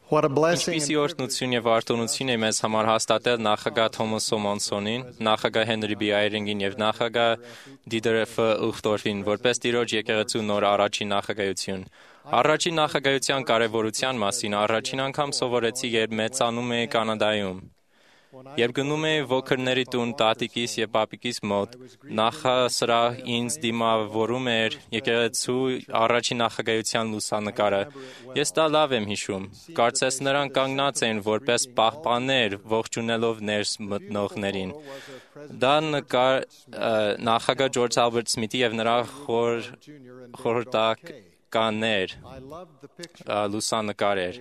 What a blessing. Ինչպիսի օրհնություն եւ արտոնություն է մեզ համար հաստատել նախագահ Թոմաս Մոնսոնին, նախագահ Հենրի B. Այրինգին եւ նախագահ Դիդեր F. Ուխտորֆին, որպես Տիրոջ եկեղեցու նոր առաջին նախագահություն։ Առաջին նախագահության կարևորության մասին առաջին անգամ սովորեցի, երբ մեծանում էի Կանադայում։ Երբ գնում էի ոգրների տուն տատիկիս եւ պապիկիս մոտ, նախասրահ ինձ դիմավորում էր եկեղեցու առաջին նախագահության լուսանկարը։ Ես դա լավ եմ հիշում։ Կարծես նրանք կանգնած էին որպես պահպաններ, ողջունելով ներս մտնողներին։ Դա նկար նախագահ Ջորջ Ալբերտ Սմիթի եւ նրա խորհրդականներ լուսանկար էր։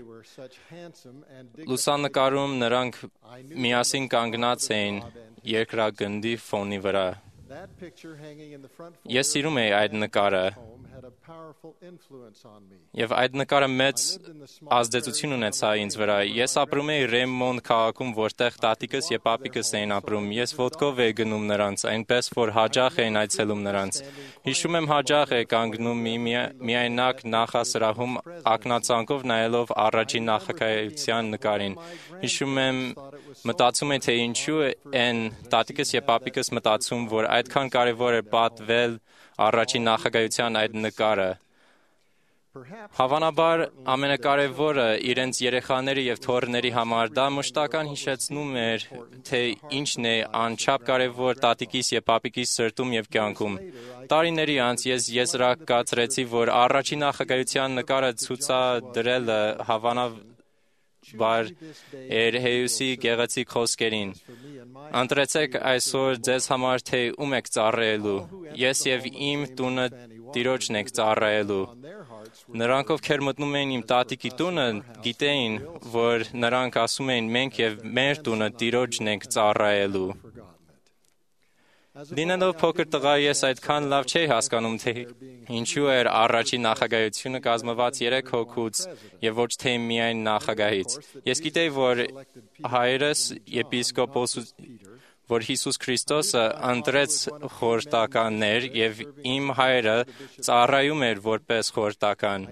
Լուսանկարում նրանք միասին կանգնած էին երկրագնդի ֆոնի վրա։ Ես սիրում էի այդ նկարը, եւ այդ նկարը մեծ ազդեցություն ունեցավ ինձ վրա։ Ես ապրում էի Ռեմոնտ քաղաքում, որտեղ տատիկս եւ պապիկս էին ապրում։ Ես ոտքով էի գնում նրանց, այնպես որ հաճախ էին այցելում նրանց։ Հիշում եմ հաճախ էի կանգնում միայնակ նախասրահում ակնածանքով նայելով առաջին նախագահության նկարին։ Հիշում եմ մտածում էի, թե ինչու են տատիկս եւ պապիկս մտածում, որ այդքան կարևոր է պատվել առաջին նախագահության այդ նկարը։ Հավանաբար ամենակարևորը իրենց երեխաների եւ թոռների համար դա մշտական հիշեցնում էր, թե ինչն է անչափ կարևոր տատիկիս եւ պապիկիս սրտում եւ կյանքում։ Տարիների անց ես եզրակացրեցի, որ առաջին նախագահության նկարը ցուցադրելը հավանաբար էր Հեյուսի գեղեցիկ խոսքերին։ Ընտրեցեք այսօր ձեզ համար, թե ում եք ծառայելու։ Ես եւ իմ տունը Տիրոջն ենք ծառայելու։ Նրանք, ովքեր մտնում էին իմ տատիկի տունը, գիտեին, որ նրանք ասում էին մենք եւ մեր տունը Տիրոջն ենք ծառայելու։ Լինելով փոքր տղա, ես այդքան լավ չէի հասկանում, թե ինչու էր առաջին նախագահությունը կազմված 3 հոգուց եւ ոչ թե միայն նախագահից։ Ես գիտեի, որ հայրս եպիսկոպոս, որ Հիսուս Քրիստոսը ընտրեց խորհրդականներ եւ իմ հայրը ծառայում էր որպես խորհրդական։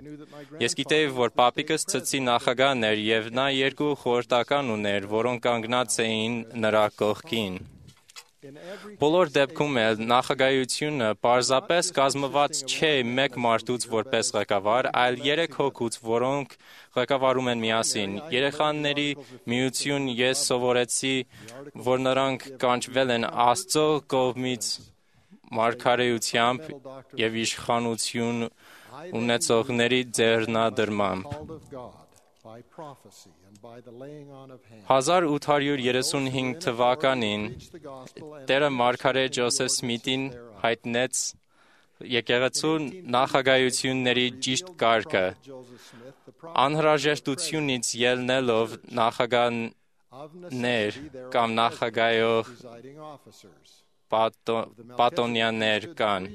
Ես գիտեի, որ պապիկս ցցի նախագահն էր եւ նա 2 խորհրդական ուներ, որոնք կանգնած էին նրա կողքին։ Բոլոր դեպքում էլ նախագահությունը պարզապես կազմված չէ մեկ մարդուց որպես ղեկավար, այլ 3 հոգուց, որոնք ղեկավարում են միասին։ Երեխաների միություն ես սովորեցի, որ նրանք կանչվել են Աստծո կողմից մարգարեությամբ եւ իշխանություն ունեցողների ձեռնադրմամբ։ 1835 թվականին Տերը մարգարե Ջոսեֆ Սմիթին հայտնեց եկեղեցու նախագահությունների ճիշտ կարգը։ Անհրաժեշտությունից ելնելով նախագահներ կամ նախագահող պատոնյաներ կան։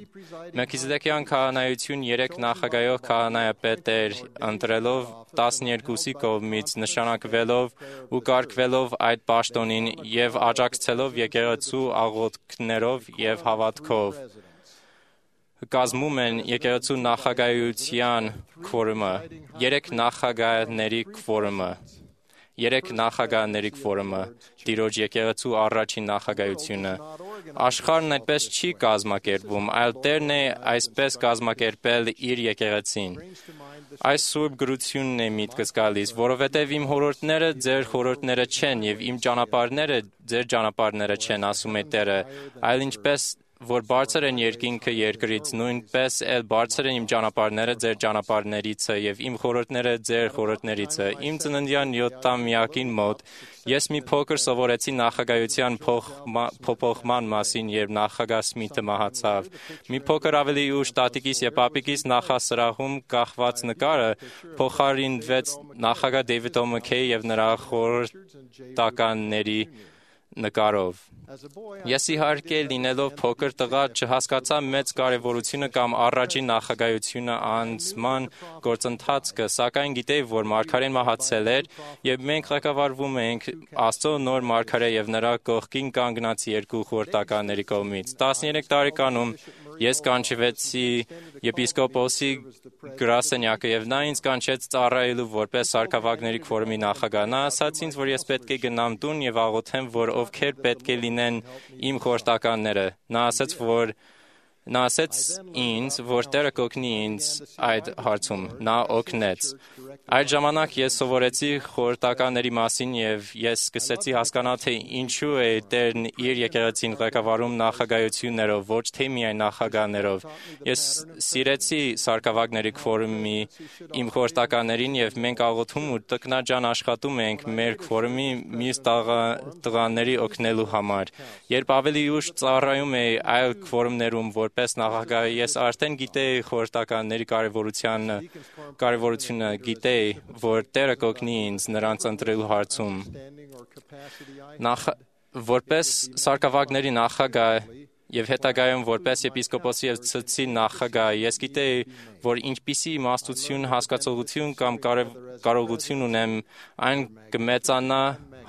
Մելքիզեդեկյան քահանայություն 3 նախագահող քահանայապետ էր ընտրելով 12-ի կողմից, նշանակվելով ու կարգվելով այդ պաշտոնին եւ աջակցելով եկեղեցու աղոթքներով եւ հավատքով։ Կազմում են եկեղեցու նախագահության քվորումը, 3 նախագահների քվորումը։ 3 նախագահների քվորումը, Տիրոջ եկեղեցու առաջին նախագահությունը։ Աշխարհն այդպես չի կազմակերպվում, այլ Տերն է այսպես կազմակերպել իր եկեղեցին։ Այս սուրբ գրությունն է միտքս գալիս, որովհետև իմ հորորդները ձեր հորորդները չեն եւ իմ ճանապարհները ձեր ճանապարհները չեն, ասում է Տերը, այլ ինչպես որ բարձր են երկինքը երկրից, նույնպես էլ բարձր են իմ ճանապարհները ձեր ճանապարհներիցը եւ իմ խորհուրդները ձեր խորհուրդներիցը։ Իմ ծննդյան 7-ամյակին մոտ ես մի փոքր սովորեցի նախագահության փոփոխման մասին, երբ նախագահ Սմիթը մահացավ։ Մի փոքր ավելի ուշ տատիկիս եւ պապիկիս նախասրահում կախված նկարը փոխարինվեց նախագահ Դեյվիդ Օ'Մաքեյի եւ նրա խորհրդականների նկարով։ Ես իհարկե լինելով փոքր տղա չհասկացա մեծ կարևորությունը կամ առաջին նախագահությունը անցման գործընթացը, սակայն գիտեի, որ մարգարեն մահացել էր եւ մենք ղեկավարվում էինք Աստծո նոր մարգարե եւ նրա կողքին կանգնած 2 խորհրդականների կողմից։ 13 տարեկանում Ես կանչվեցի եպիսկոպոսի գրասենյակը եւ նա ինձ կանչեց ծառայելու որպես սարքավագների քվորումի նախագահ։ Նա ասաց ինձ, որ ես պետք է գնամ տուն եւ աղոթեմ, որ ովքեր պետք է լինեն իմ խորհրդականները։ Նա ասեց ինձ, որ Տերը կօգնի ինձ այդ հարցում։ Նա օգնեց։ Այդ ժամանակ ես սովորեցի խորհրդականների մասին եւ ես սկսեցի հասկանալ, թե ինչու է Տերն իր եկեղեցին ղեկավարում նախագահություններով, ոչ թե միայն նախագահներով։ Ես սիրեցի սարքավագների քվորումի իմ խորհրդականներին եւ մենք աղոթում ու տքնաջան աշխատում ենք մեր քվորումի մյուս տղաների օգնելու համար։ Երբ ավելի ուշ ծառայում էի այլ քվորումներում որպես նախագահ, ես արդեն գիտեի խորհրդականների կարևորությունը, գիտեի, որ Տերը կօգնի ինձ նրանց ընտրելու հարցում։ Որպես սարքավագների նախագահ եւ հետագայում որպես եպիսկոպոսի եւ ցցի նախագահ, ես գիտեի, որ ինչպիսի իմաստություն, հասկացողություն կամ կարողություն ունեմ, այն կմեծանա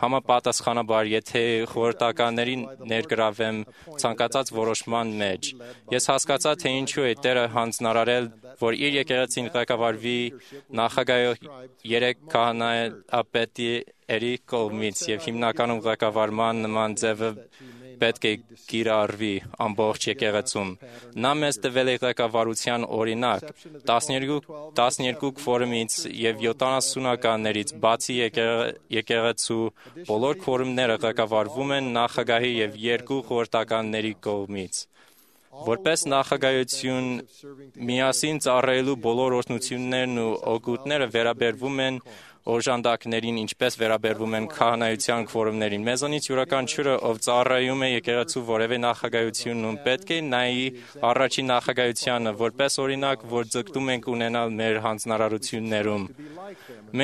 համապատասխանաբար, եթե խորհրդականներին ներգրավեմ ցանկացած որոշման մեջ։ Ես հասկացա, թե ինչու է Տերը հանձնարարել, որ իր եկեղեցին ղեկավարվի նախագահով 3 քահանայապետերի կողմից եւ հիմնականում ղեկավարման նման ձևը պետք է կիրառվի ամբողջ եկեղեցում։ Նա մեզ տվել է ղեկավարության օրինակ։ 12 քվորումից եւ 70-ականներից բացի եկեղեցու բոլոր քվորումները ղեկավարվում են նախագահի եւ 2 խորհրդականների կողմից։ Որպես նախագահություն միասին ծառայելու բոլոր օրհնություններն ու օգուտները վերաբերվում են օժանդակներին, ինչպես վերաբերվում են քահանայության քվորումներին։ Մեզանից յուրաքանչյուրը, ով ծառայում է եկեղեցու որևէ նախագահությունում, պետք է նայի առաջին նախագահությանը, որպես օրինակ, որ ձգտում ենք ունենալ մեր հանձնարարություններում։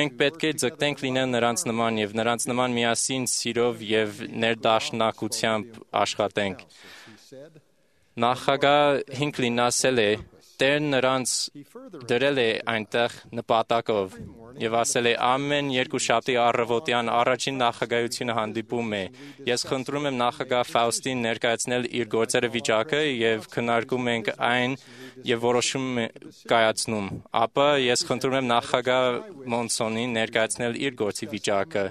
Մենք պետք է ձգտենք լինել նրանց նման եւ նրանց նման միասին սիրով եւ ներդաշնակությամբ աշխատենք։ Նախագահ Հինքլին ասել է. Տերն նրանց դրել է այնտեղ նպատակով եւ ասել է ամեն երկուշաբթի առավոտյան առաջին նախագահությունը հանդիպում է։ Ես խնդրում եմ նախագահ Ֆաուստին ներկայացնել իր գործերը վիճակը եւ քննարկում ենք այն եւ որոշում կայացնում։ Ապա ես խնդրում եմ նախագահ Մոնսոնին ներկայացնել իր գործի վիճակը։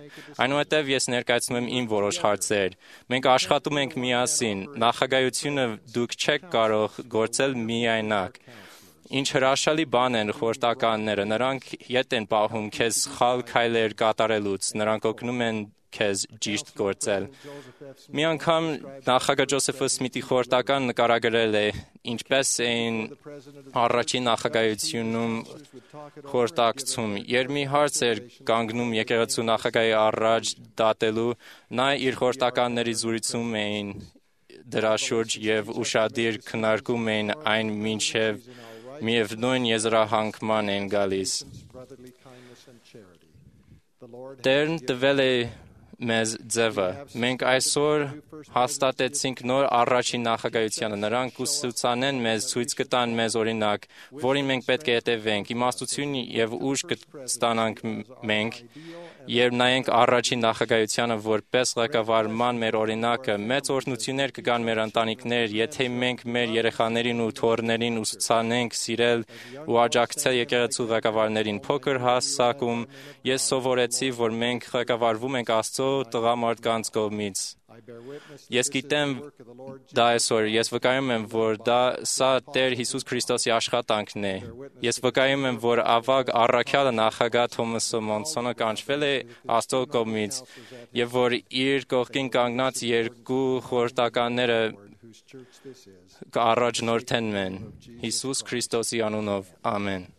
Այնուհետև ես ներկայացնում եմ իմ որոշ հարցեր։ Մենք աշխատում ենք միասին։ Նախագահությունը դուք չեք կարող գործել միայնակ։ Ինչ հրաշալի բան են խորհրդականները, նրանք ետ են պահում քեզ սխալ քայլեր կատարելուց, նրանք օգնում են քեզ ճիշտ գործել։ Մի անգամ նախագահ Ջոզեֆ Սմիթի խորհրդական նկարագրել է, ինչպես էին առաջին նախագահությունում խորհրդակցում։ Երբ մի հարց էր կանգնում եկեղեցու նախագահի առաջ դատելու, նա իր խորհրդականների զրուցում էին դրա շուրջ եւ ուշադիր քննարկում էին այն մինչեւ միևնույն եզրահանգման են գալիս։ Տերն տվել է մեզ ձևը։ Մենք այսօր հաստատեցինք նոր առաջին նախագահությանը։ Նրանք կուսուցանեն մեզ, ցույց կտան մեզ օրինակ, որին մենք պետք է հետևենք։ Իմաստություն եւ ուժ կստանանք մենք, երբ նայենք առաջին նախագահությանը որպես ղեկավարման մեր օրինակը։ Մեծ օրհնություններ կգան մեր ընտանիքներ, եթե մենք մեր երեխաներին ու թոռներին ուսուցանենք սիրել ու աջակցել եկեղեցու ղեկավարներին։ Փոքր հասակում ես սովորեցի, որ մենք ղեկավարվում ենք Աստծո տղամարդկանց կողմից։ Ես գիտեմ դա այսօր, ես վկայում եմ, որ սա Տեր Հիսուս Քրիստոսի աշխատանքն է։ Ես վկայում եմ, որ ավագ առաքյալը նախագահ Թոմաս Մոնսոնը կանչվել է Աստծո կողմից եւ որ իր կողքին կանգնած 2 խորհրդականները կառաջնորդեն մեն։ Հիսուս Քրիստոսի անունով, ամեն։